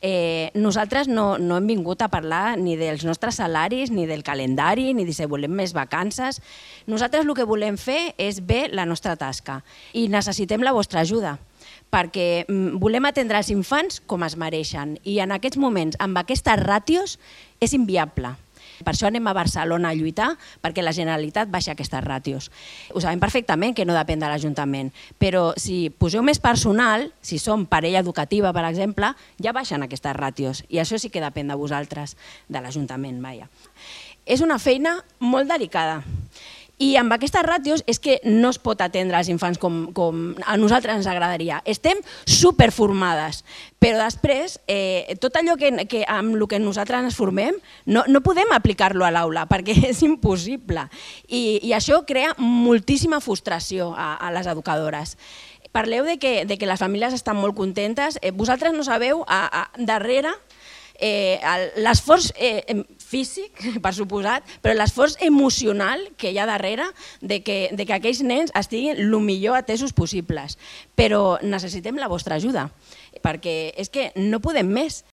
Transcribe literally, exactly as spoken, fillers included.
eh, nosaltres no, no hem vingut a parlar ni dels nostres salaris, ni del calendari, ni de si volem més vacances. Nosaltres el que volem fer és bé la nostra tasca i necessitem la vostra ajuda, perquè volem atendre els infants com es mereixen i en aquests moments, amb aquestes ràtios, és inviable. Per això anem a Barcelona a lluitar perquè la Generalitat baixi aquestes ràtios. Ho sabem perfectament que no depèn de l'Ajuntament, però si poseu més personal, si som parella educativa, per exemple, ja baixen aquestes ràtios i això sí que depèn de vosaltres, de l'Ajuntament. És una feina molt delicada. I amb aquestes ràtios és que no es pot atendre els infants com, com a nosaltres ens agradaria. Estem superformades, però després eh, tot allò que, que, amb el que nosaltres ens formem no, no podem aplicar-lo a l'aula perquè és impossible. I, i això crea moltíssima frustració a, a les educadores. Parleu de que, de que les famílies estan molt contentes. Eh, vosaltres no sabeu a, a, darrere Eh, l'esforç eh, físic, per suposat, però l'esforç emocional que hi ha darrere de que, de que aquells nens estiguin el millor atesos possibles. Però necessitem la vostra ajuda, perquè és que no podem més.